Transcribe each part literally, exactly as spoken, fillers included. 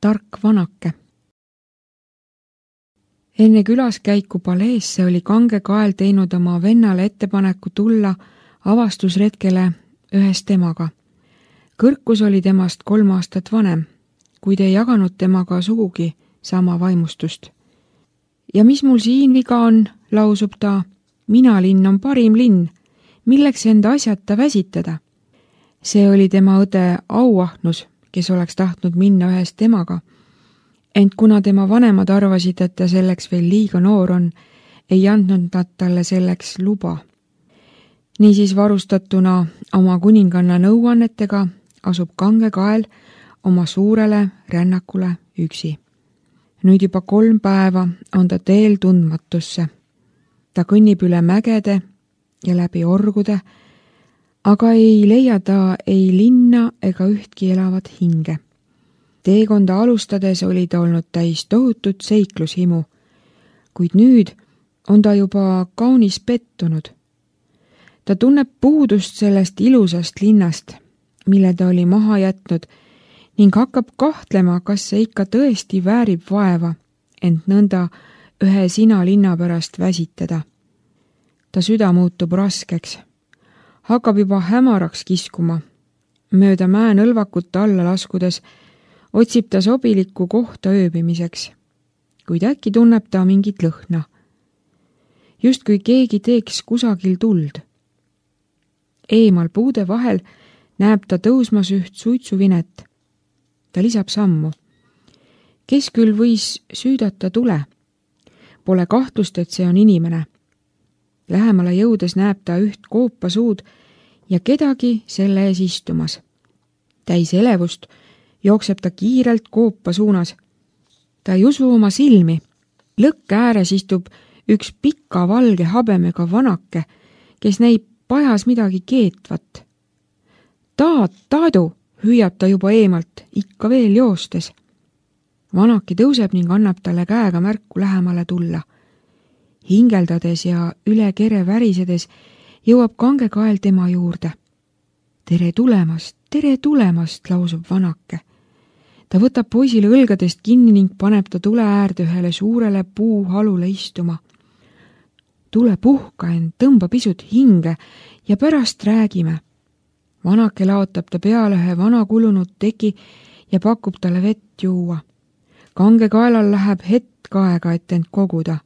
tark vanake. Enne külaskäiku paleesse oli Kange Kael teinud oma vennale ettepaneku tulla avastusretkele ühes temaga. Kõrkus oli temast kolm aastat vanem, kuid ei jaganud temaga sugugi sama vaimustust. Ja mis mul siin viga on, lausub ta, mina linn on parim linn, milleks enda asjata väsitada. See oli tema õde Auahnus, kes oleks tahtnud minna ühes temaga, ent kuna tema vanemad arvasid, et ta selleks veel liiga noor on, ei andnud nad talle selleks luba. Niisiis varustatuna oma kuninganna nõuannetega asub Kange Kael oma suurele rännakule üksi. Nüüd juba kolm päeva on ta teel tundmatusse. Ta kõnnib üle mägede ja läbi orgude, aga ei leia ta ei linna ega ühtki elavat hinge. Teekonda alustades oli ta olnud täis tohutut seiklushimu, kuid nüüd on ta juba kaunis pettunud. Ta tunneb puudust sellest ilusast linnast, mille ta oli maha jätnud, ning hakkab kahtlema, kas see ikka tõesti väärib vaeva, ent nõnda ühe sina linna pärast väsitada. Ta süda muutub raskeks. Hakkab juba hämaraks kiskuma. Mööda mäenõlvakut alla laskudes otsib ta sobilikku kohta ööbimiseks, kuid äkki tunneb ta mingit lõhna. Just kui keegi teeks kusagil tuld. Eemal puude vahel näeb ta tõusmas üht suitsuvinet. Ta lisab sammu. Kes küll võis süüdata tule? Pole kahtlust, et see on inimene. Lähemale jõudes näeb ta üht koopasuud ja kedagi selle ees istumas. Täis elevust jookseb ta kiirelt koopa suunas. Ta ei usu oma silmi. Lõkke ääres istub üks pika valge habemega vanake, kes näib pajas midagi keetvat. Taat, taadu, hüüab ta juba eemalt, ikka veel joostes. Vanaki tõuseb ning annab talle käega märku lähemale tulla. Hingeldades ja üle kere värisedes jõuab Kange Kael tema juurde. Tere tulemast, tere tulemast, lausub vanake. Ta võtab poisile õlgadest kinni ning paneb ta tule äärde ühele suurele puuhalule istuma. Tule puhka end, tõmba pisut hinge ja pärast räägime. Vanake laotab ta peale ühe vana kulunud teki ja pakub talle vett juua. Kange Kaelal läheb hetk aega, et end koguda.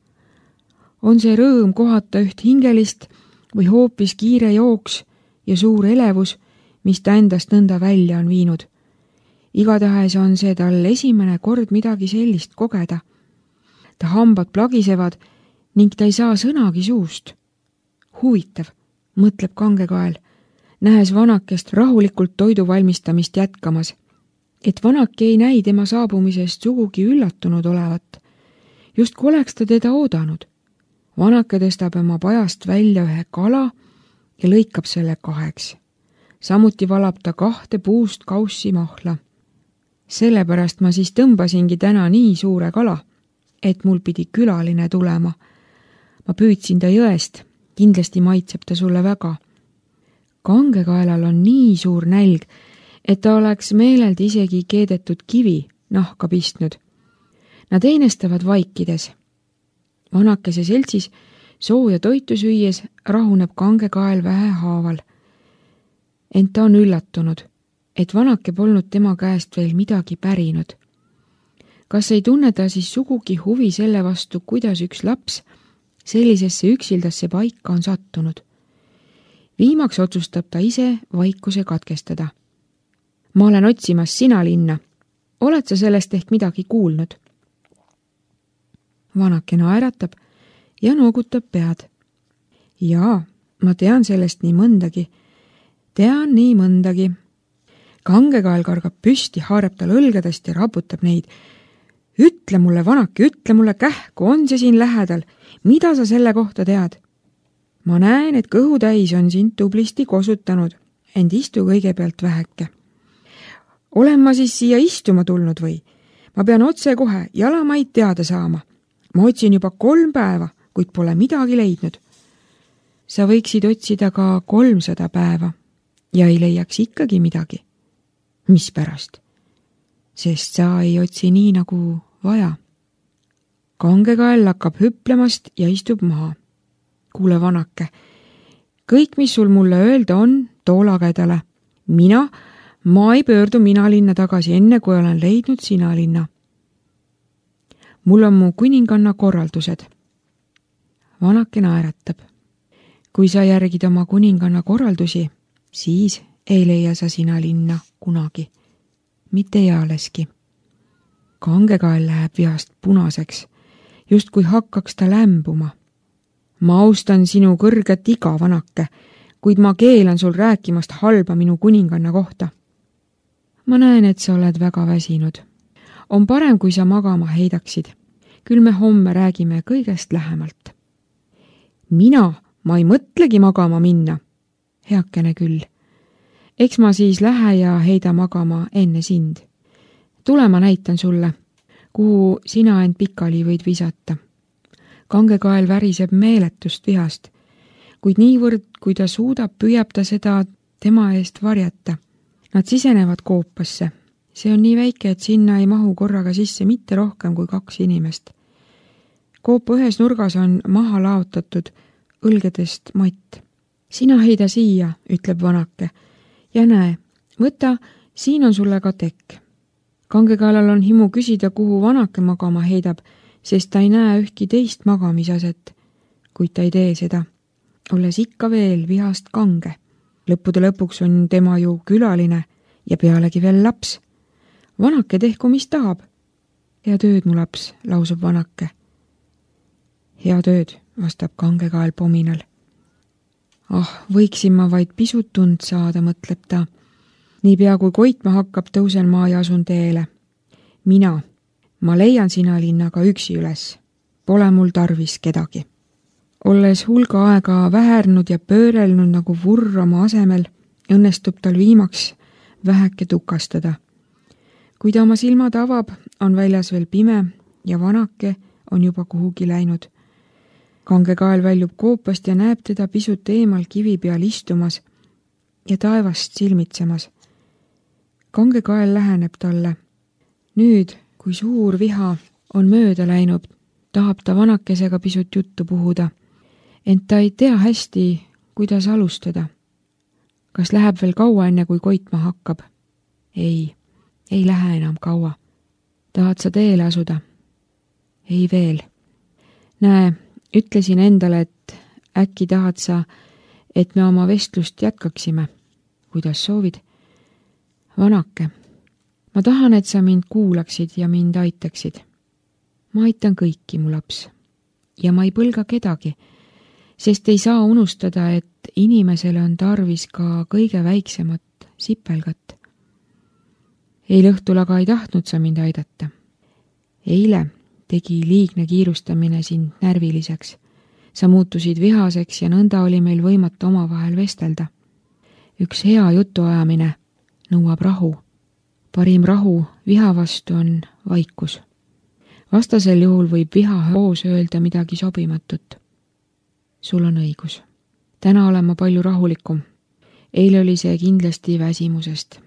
On see rõõm kohata üht hingelist või hoopis kiire jooks ja suur elevus, mis ta endast nõnda välja on viinud. Igatahes on see tal esimene kord midagi sellist kogeda. Ta hambad plagisevad ning ta ei saa sõnagi suust. Huvitav, mõtleb Kange Kael, nähes vanakest rahulikult toidu valmistamist jätkamas, et vanake ei näi tema saabumisest sugugi üllatunud olevat. Just kui oleks ta teda oodanud. Vanake tõstab oma pajast välja ühe kala ja lõikab selle kaheks. Samuti valab ta kahte puust kaussi mahla. Sellepärast ma siis tõmbasingi täna nii suure kala, et mul pidi külaline tulema. Ma püüdsin ta jõest, kindlasti maitseb ta sulle väga. Kange Kaelal on nii suur nälg, et ta oleks meeleldi isegi keedetud kivi nahka pistnud. Nad einestavad vaikides. Vanakese seltsis sooja toitu süües rahuneb Kange Kael vähe haaval. Ent ta on üllatunud, et vanake polnud tema käest veel midagi pärinud. Kas ei tunne ta siis sugugi huvi selle vastu, kuidas üks laps sellisesse üksildasse paika on sattunud? Viimaks otsustab ta ise vaikuse katkestada. Ma olen otsimas sina linna. Oled sa sellest ehk midagi kuulnud? Vanake naeratab ja noogutab pead. Jaa, ma tean sellest nii mõndagi. Tean nii mõndagi. Kange Kael kargab püsti, haarab tal õlgadest ja raputab neid. Ütle mulle, vanake, ütle mulle kähku, on see siin lähedal. Mida sa selle kohta tead? Ma näen, et kõhutäis on sind tublisti kosutanud, ent istu kõigepealt väheke. Olen ma siis siia istuma tulnud või? Ma pean otse kohe jalamaid teada saama. Ma otsin juba kolm päeva, kuid pole midagi leidnud. Sa võiksid otsida ka kolmsada päeva ja ei leiaks ikkagi midagi. Mis pärast? sest sa ei otsi nii nagu vaja. Kangekael hakkab hüplemast ja istub maha. Kuule, vanake, kõik, mis sul mulle öelda on, too lagedale. Mina, ma ei pöördu Minalinna tagasi enne, kui olen leidnud Sinalinna. Mul on mu kuninganna korraldused. Vanake naeratab. Kui sa järgid oma kuninganna korraldusi, siis ei leia sa Sinalinna kunagi. Mitte ealeski. Kangekael läheb vihast punaseks, just kui hakkaks ta lämbuma. Ma austan sinu kõrget iga, vanake, kuid ma keelan sul rääkimast halba minu kuninganna kohta. Ma näen, et sa oled väga väsinud. On parem, kui sa magama heidaksid. Küll me homme räägime kõigest lähemalt. Mina, ma ei mõtlegi magama minna. Heakene küll. Eks ma siis lähe ja heida magama enne sind. Tule, ma näitan sulle, kuhu sina end pikali võid visata. Kangekael väriseb meeletust vihast, kuid niivõrd, kui ta suudab, püüab ta seda tema eest varjata. Nad sisenevad koopasse. See on nii väike, et sinna ei mahu korraga sisse mitte rohkem kui kaks inimest. Koopa ühes nurgas on maha laotatud õlgedest matt. Sina heida siia, ütleb vanake. Ja näe, võta, siin on sulle ka tekk. Kangekaelal on himu küsida, kuhu vanake magama heidab, sest ta ei näe ühtki teist magamisaset, kuid ta ei tee seda, olles ikka veel vihast kange. Lõppude lõpuks on tema ju külaline ja pealegi veel laps. Vanake tehku, mis tahab. Hea tööd, mu laps, lausub vanake. Hea tööd, vastab Kangekael pominal. Ah, võiksin ma vaid pisut tund saada, mõtleb ta. Niipea kui koitma hakkab, tõusen ma ja asun teele. Mina, ma leian Sinalinnaga üksi üles. Pole mul tarvis kedagi. Olles hulga aega vähernud ja pöörelnud nagu vurr oma asemel, õnnestub tal viimaks väheke tukastada. Kui ta oma silmad avab, on väljas veel pime ja vanake on juba kuhugi läinud. Kangekael väljub koopast ja näeb teda pisut eemal kivi peal istumas ja taevast silmitsemas. Kangekael läheneb talle. Nüüd, kui suur viha on mööda läinud, tahab ta vanakesega pisut juttu puhuda, ent ta ei tea hästi, kuidas alustada. Kas läheb veel kaua enne, kui koitma hakkab? Ei, ei lähe enam kaua. Tahad sa teele asuda? Ei veel. Näe, ütlesin endale, et äkki tahad sa, et me oma vestlust jätkaksime. Kuidas soovid? Vanake, ma tahan, et sa mind kuulaksid ja mind aitaksid. Ma aitan kõiki, mu laps. Ja ma ei põlga kedagi, sest ei saa unustada, et inimesele on tarvis ka kõige väiksemat sipelgat. Eile õhtul aga ei tahtnud sa mind aidata. Eile tegi liigne kiirustamine sind närviliseks. Sa muutusid vihaseks ja nõnda oli meil võimatu omavahel vestelda. Üks hea jutuajamine nõuab rahu. Parim rahu viha vastu on vaikus. Vastasel juhul võib viha hoos öelda midagi sobimatut. Sul on õigus. Täna olen ma palju rahulikum. Eile oli see kindlasti väsimusest.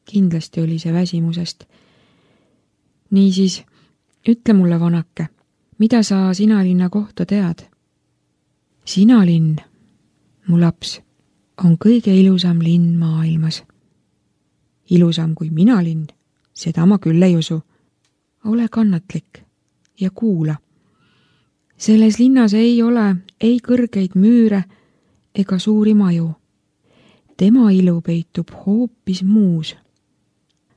Kindlasti oli see väsimusest. Niisiis, ütle mulle, vanake, mida sa Sinalinna kohta tead? Sinalinn, mu laps, on kõige ilusam linn maailmas. Ilusam kui Minalinn, seda ma küll ei usu. Ole kannatlik ja kuula. Selles linnas ei ole ei kõrgeid müüre ega suuri maju. Tema ilu peitub hoopis muus.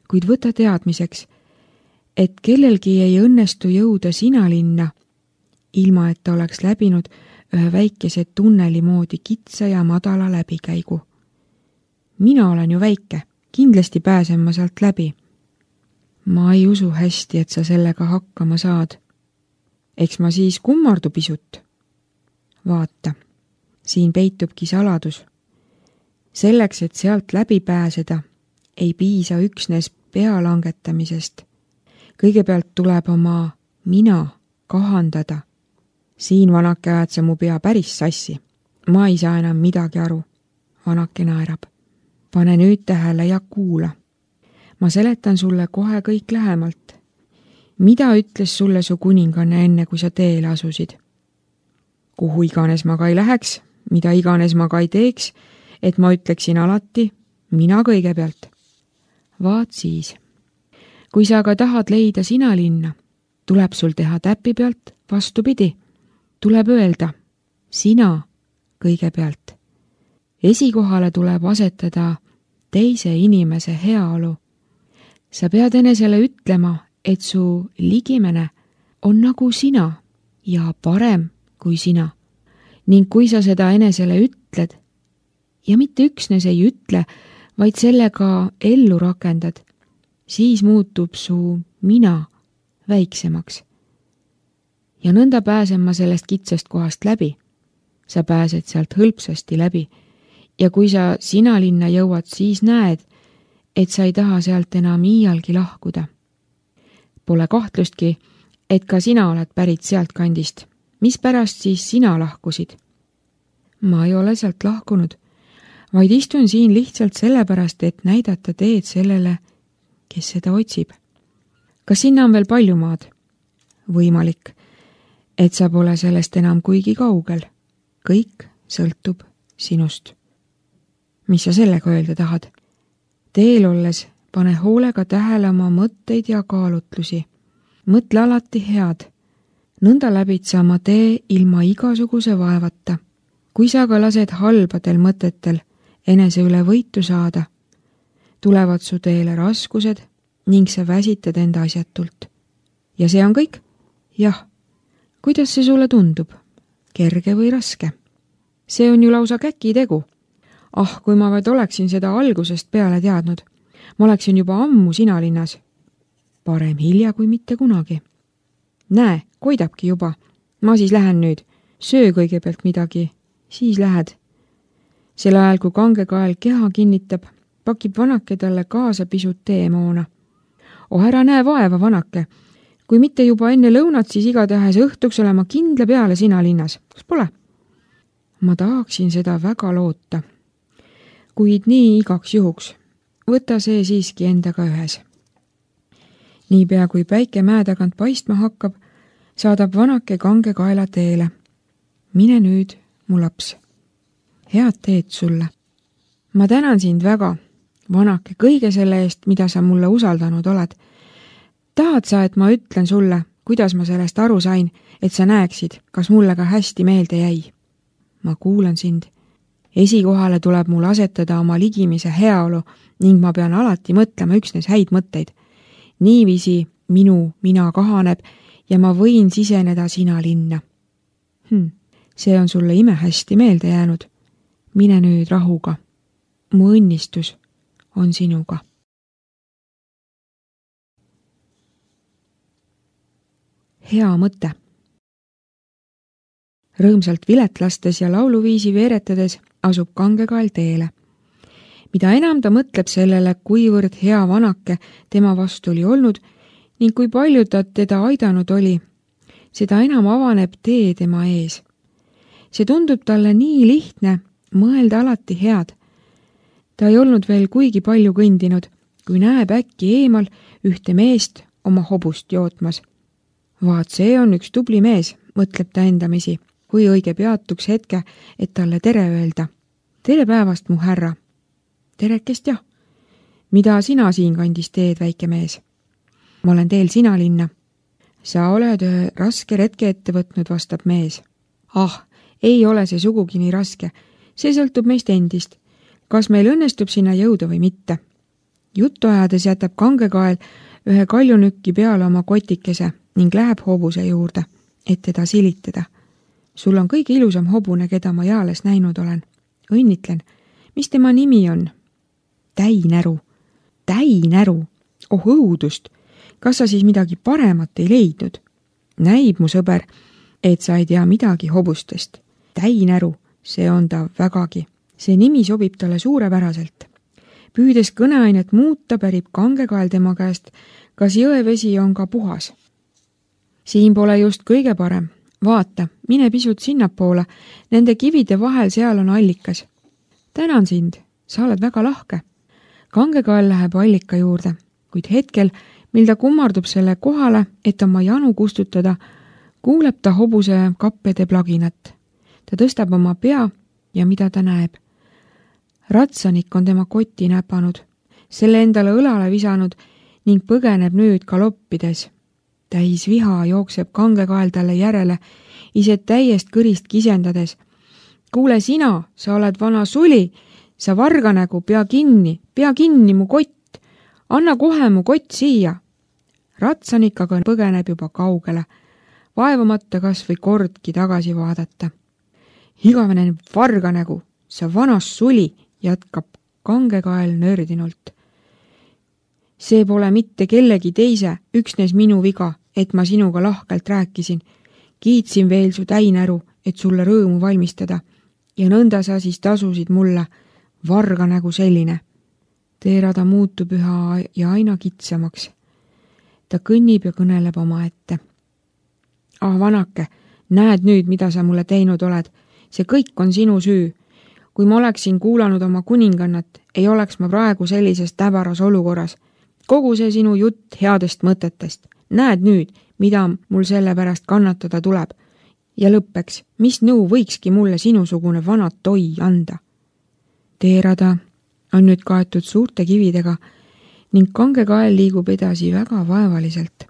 Kuid võta teadmiseks, et kellelgi ei õnnestu jõuda Sinalinna, ilma et ta oleks läbinud ühe väikese tunneli moodi kitsa ja madala läbikäigu. Mina olen ju väike, kindlasti pääsen ma sealt läbi. Ma ei usu hästi, et sa sellega hakkama saad. Eks ma siis kummardu pisut. Vaata, siin peitubki saladus. Selleks, et sealt läbi pääseda, ei piisa üksnes pea langetamisest. Kõigepealt tuleb oma mina kahandada. Siin, vanake, ajad sa mu pea päris sassi. Ma ei saa enam midagi aru. Vanake naerab. Pane nüüd tähele ja kuula. ma seletan sulle kohe kõik lähemalt. Mida ütles sulle su kuninganne enne, kui sa teele asusid? Kuhu iganes ma ka ei läheks, mida iganes ma ka ei teeks, et ma ütleksin alati, mina kõigepealt. Vaat siis. Kui sa aga tahad leida sina linna, tuleb sul teha täpi pealt vastupidi. Tuleb öelda, sina kõigepealt. Esikohale tuleb asetada teise inimese heaolu. Sa pead enesele ütlema, et su ligimene on nagu sina ja parem kui sina. Ning kui sa seda enesele ütled, ja mitte üksnes ei ütle, vaid sellega ellu rakendad, siis muutub su mina väiksemaks. Ja nõnda pääsen ma sellest kitsast kohast läbi. Sa pääsed sealt hõlpsasti läbi. Ja kui sa sina linna jõuad, siis näed, et sa ei taha sealt enam iialgi lahkuda. Pole kahtlustki, et ka sina oled pärit sealt kandist. Mis pärast siis sina lahkusid? Ma ei ole sealt lahkunud, vaid istun siin lihtsalt sellepärast, et näidata teed sellele, kes seda otsib. Kas sinna on veel palju maad? Võimalik, et sa pole sellest enam kuigi kaugel. Kõik sõltub sinust. Mis sa sellega öelda tahad? Teel olles pane hoolega tähele oma mõtteid ja kaalutlusi. Mõtle alati head. Nõnda läbid sa oma tee ilma igasuguse vaevata. Kui sa aga lased halbadel mõtetel enese üle võitu saada, tulevad su teele raskused ning sa väsitad enda asjatult. Ja see on kõik? Jah. Kuidas see sulle tundub? Kerge või raske? See on ju lausa käki tegu. Ah, kui ma vaid oleksin seda algusest peale teadnud. Ma oleksin juba ammu sina linnas. Parem hilja kui mitte kunagi. Näe, koidabki juba. Ma siis lähen nüüd. Söö kõigepealt midagi. Siis lähed. Sel ajal, kui kangekael keha kinnitab, pakib vanake talle kaasa pisut teemoona. Oh, ära näe vaeva, vanake. Kui mitte juba enne lõunat, siis igatahes õhtuks olema kindla peale sina linnas. Kas pole? Ma tahaksin seda väga loota. Kuid nii igaks juhuks. Võta see siiski endaga ühes. Niipea kui päike mäe tagant paistma hakkab, saadab vanake kange kaela teele. Mine nüüd, mu laps. Head teed sulle. Ma tänan sind väga, vanake, kõige selle eest, mida sa mulle usaldanud oled. Tahad sa, et ma ütlen sulle, kuidas ma sellest aru sain, et sa näeksid, kas mulle ka hästi meelde jäi? Ma kuulan sind. Esikohale tuleb mul asetada oma ligimise heaolu ning ma pean alati mõtlema üksnes häid mõtteid. Niiviisi minu mina kahaneb ja ma võin siseneda sina linna. Hm, see on sulle ime hästi meelde jäänud. Mine nüüd rahuga. Mu õnnistus on sinuga. Hea mõte. Rõõmsalt vilet lastes ja lauluviisi veeretades asub kangekael teele. Mida enam ta mõtleb sellele, kuivõrd hea vanake tema vastu oli olnud ning kui palju ta teda aidanud oli, seda enam avaneb tee tema ees. See tundub talle nii lihtne, mõelda alati head. Ta ei olnud veel kuigi palju kõndinud, kui näeb äkki eemal ühte meest oma hobust jootmas. Vaat see on üks tubli mees, mõtleb ta endamisi, kui õige peatuks hetke, et talle tere öelda. Tere päevast, mu härra. Terekest jah. Mida sina siin kandis teed, väike mees? Ma olen teel sina linna. Sa oled ühe raske retke ette võtnud, vastab mees. Ah, ei ole see sugugi nii raske. See sõltub meist endist. Kas meil õnnestub sinna jõuda või mitte? Juttu ajades jätab kangekael ühe kaljunükki peale oma kotikese ning läheb hobuse juurde, et teda silitada. Sul on kõige ilusam hobune, keda ma jaales näinud olen. Õnnitlen. Mis tema nimi on? Täinäru. Täinäru. Oh õudust. Kas sa siis midagi paremat ei leidnud? Näib, mu sõber, et sa ei tea midagi hobustest. Täinäru, see on ta vägagi. See nimi sobib talle suurepäraselt. Püüdes kõneainet muuta, pärib kangekael tema käest, kas jõevesi on ka puhas. Siin pole just kõige parem. Vaata, mine pisut sinnapoole. Nende kivide vahel seal on allikas. Tänan sind, sa oled väga lahke. Kangekael läheb allika juurde kuid hetkel, mil ta kummardub selle kohale, et oma janu kustutada, kuuleb ta hobuse kappede plaginat. Ta tõstab oma pea ja mida ta näeb. Ratsanik on tema kotti näpanud, selle endale õlale visanud ning põgeneb nüüd galoppides. Täis viha jookseb kangekael talle järele, ise täiest kõrist kisendades. Kuule sina, sa oled vana suli, sa varganägu, pea kinni, pea kinni mu kott, anna kohe mu kott siia. Ratsanik aga põgeneb juba kaugele, vaevamata kas või kordki tagasi vaadata. Igavene varganägu, sa vanas suli, jätkab kangekael nördinult. See pole mitte kellegi teise, üksnes minu viga, et ma sinuga lahkelt rääkisin. Kiitsin veel su täinäru, et sulle rõõmu valmistada. Ja nõnda sa siis tasusid mulle, varganägu selline. Teerada muutub üha ja aina kitsamaks. Ta kõnnib ja kõneleb oma ette. Ah, vanake, näed nüüd, mida sa mulle teinud oled. See kõik on sinu süü. Kui ma oleksin kuulanud oma kuningannat, ei oleks ma praegu sellises täbaras olukorras. Kogu see sinu jutt headest mõtetest. Näed nüüd, mida mul selle pärast kannatada tuleb. Ja lõppeks, mis nõu võikski mulle sinusugune vana toi anda? Teerada on nüüd kaetud suurte kividega ning kangekael liigub edasi väga vaevaliselt.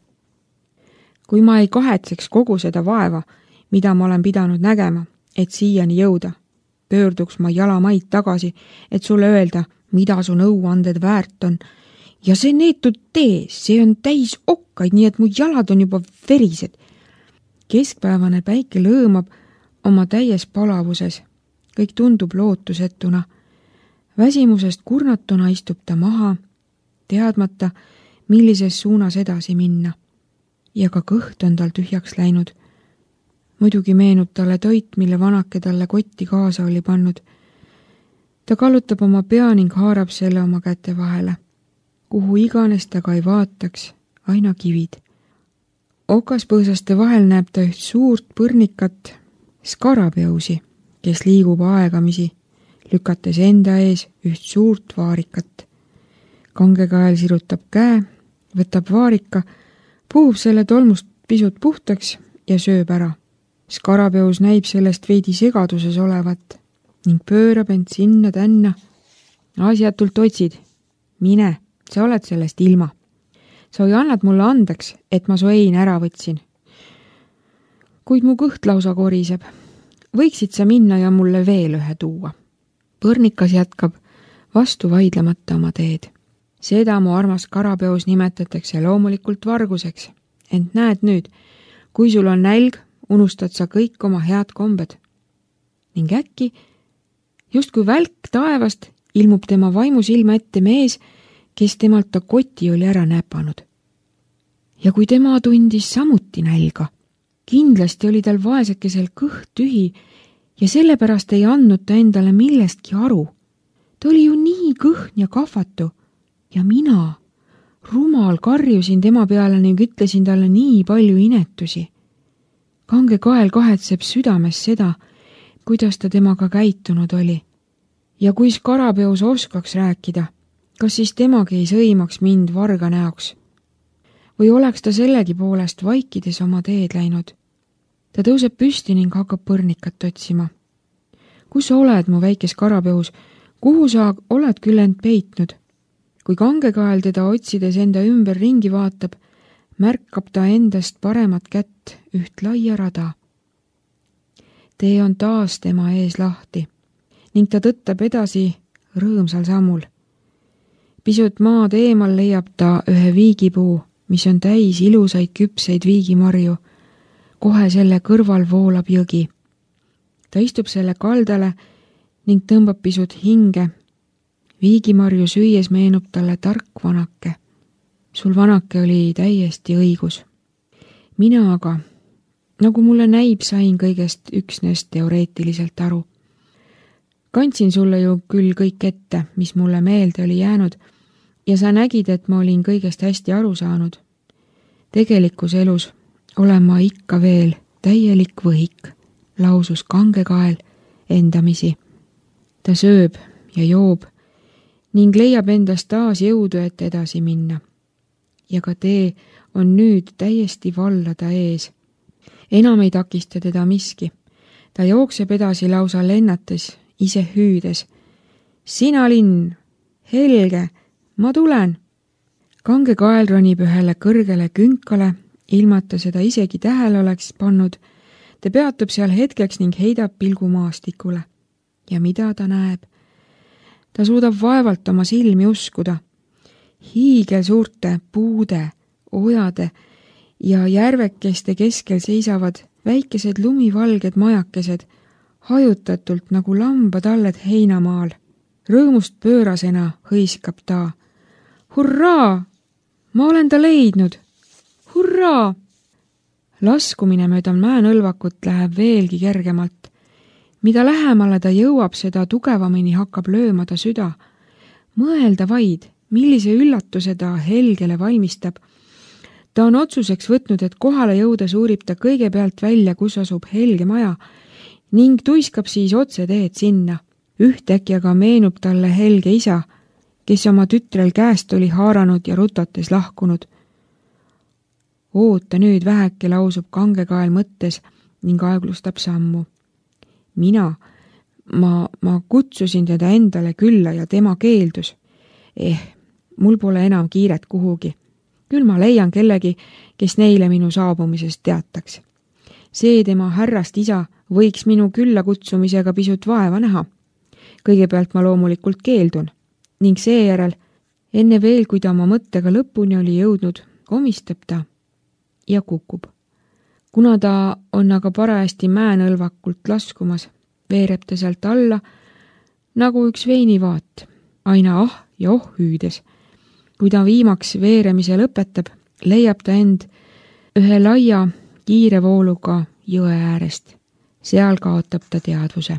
Kui ma ei kahetseks kogu seda vaeva, mida ma olen pidanud nägema, et siiani jõuda, pöörduks ma jalamaid tagasi, et sulle öelda, mida su nõuanded väärt on. Ja see neetud tee, see on täis okkaid, nii et mu jalad on juba verised. Keskpäevane päike lõõmab oma täies palavuses. Kõik tundub lootusetuna. Väsimusest kurnatuna istub ta maha, teadmata, millises suunas edasi minna. Ja ka kõht on tal tühjaks läinud. Muidugi meenub talle toit, mille vanake talle kotti kaasa oli pannud. Ta kallutab oma pea ning haarab selle oma käte vahele. Kuhu iganes ta ka ei vaataks, aina kivid. Okaspõõsaste vahel näeb ta üht suurt põrnikat skarabeusi, kes liigub aegamisi, lükates enda ees üht suurt vaarikat. Kangekael sirutab käe, võtab vaarika, puhub selle tolmust pisut puhtaks ja sööb ära. Skarabeus näib sellest veidi segaduses olevat ning pöörab end sinna tänna. Asjatult otsid. Mine, sa oled sellest ilma. Sa või annad mulle andeks, et ma su ein ära võtsin. Kuid mu kõht lausa koriseb. Võiksid sa minna ja mulle veel ühe tuua. Põrnikas jätkab vastu vaidlemata oma teed. Seda mu armas Skarabeus nimetatakse loomulikult varguseks. Ent näed nüüd, kui sul on nälg, unustad sa kõik oma head kombed. Ning äkki, just kui välk taevast, ilmub tema vaimusilma ette mees, kes temalt ta koti oli ära näpanud. Ja kui tema tundis samuti nälga, kindlasti oli tal vaesekesel kõht tühi ja sellepärast ei andnud ta endale millestki aru. Ta oli ju nii kõhn ja kahvatu ja mina, rumal, karjusin tema peale ning ütlesin talle nii palju inetusi. Kangekael kahetseb südames seda, kuidas ta temaga käitunud oli. Ja kui Skarabeus oskaks rääkida, kas siis temagi ei sõimaks mind varga näoks? Või oleks ta sellegi poolest vaikides oma teed läinud? Ta tõuseb püsti ning hakkab põrnikat otsima. Kus sa oled, mu väike Skarabeus? Kuhu sa oled küll end peitnud? Kui Kangekael teda otsides enda ümber ringi vaatab, märkab ta endast paremat kätt üht laia rada. Tee on taas tema ees lahti ning ta tõttab edasi rõõmsal sammul. Pisut maad eemal leiab ta ühe viigipuu, mis on täis ilusaid küpseid viigimarju. Kohe selle kõrval voolab jõgi. Ta istub selle kaldale ning tõmbab pisut hinge. Viigimarju süües meenub talle tark vanake. Sul vanake oli täiesti õigus. Mina aga, nagu mulle näib, sain kõigest üksnes teoreetiliselt aru. Kandsin sulle ju küll kõik ette, mis mulle meelde oli jäänud, ja sa nägid, et ma olin kõigest hästi aru saanud. Tegelikus elus olen ma ikka veel täielik võhik, lausus Kangekael endamisi. Ta sööb ja joob ning leiab endast taas jõudu, et edasi minna. ja ka tee on nüüd täiesti vallada ees. Enam ei takista teda miski. Ta jookseb edasi lausa lennates, ise hüüdes. Sina linn, Helge, ma tulen. Kange kael ronib ühele kõrgele künkale, ilmata seda isegi tähele oleks pannud. Ta peatub seal hetkeks ning heidab pilgu maastikule. Ja mida ta näeb? Ta suudab vaevalt oma silmi uskuda. Hiigel suurte puude, ojade ja järvekeste keskel seisavad väikesed lumivalged majakesed, hajutatult nagu lambatalled heinamaal. Rõõmust pöörasena hõiskab ta. Hurraa! Ma olen ta leidnud! Hurraa! Laskumine mööda mäenõlvakut läheb veelgi kergemalt. Mida lähemale ta jõuab, seda tugevamini hakkab lööma ta süda. Mõelda vaid, millise üllatuse ta Helgele valmistab. Ta on otsuseks võtnud, et kohale jõuda suurib ta kõigepealt välja, kus asub Helge maja, ning tuiskab siis otse teed sinna. Ühtäkki aga meenub talle Helge isa, kes oma tütrel käest oli haaranud ja rutates lahkunud. Oota nüüd väheke, lausub Kange kael mõttes ning aeglustab sammu. Mina, ma, ma kutsusin teda endale külla ja tema keeldus. Eh, mul pole enam kiiret kuhugi. Küll ma leian kellegi, kes neile minu saabumisest teataks. See tema härrast isa võiks minu külla kutsumisega pisut vaeva näha. Kõigepealt ma loomulikult keeldun ning seejärel, enne veel, kui ta oma mõttega lõpuni oli jõudnud, komistab ta ja kukub. Kuna ta on aga parajasti mäenõlvakult laskumas, veereb ta sealt alla nagu üks veinivaat, aina ah ja oh hüüdes. Kui ta viimaks veeremise lõpetab, leiab ta end ühe laia kiire vooluga jõe äärest. Seal kaotab ta teadvuse.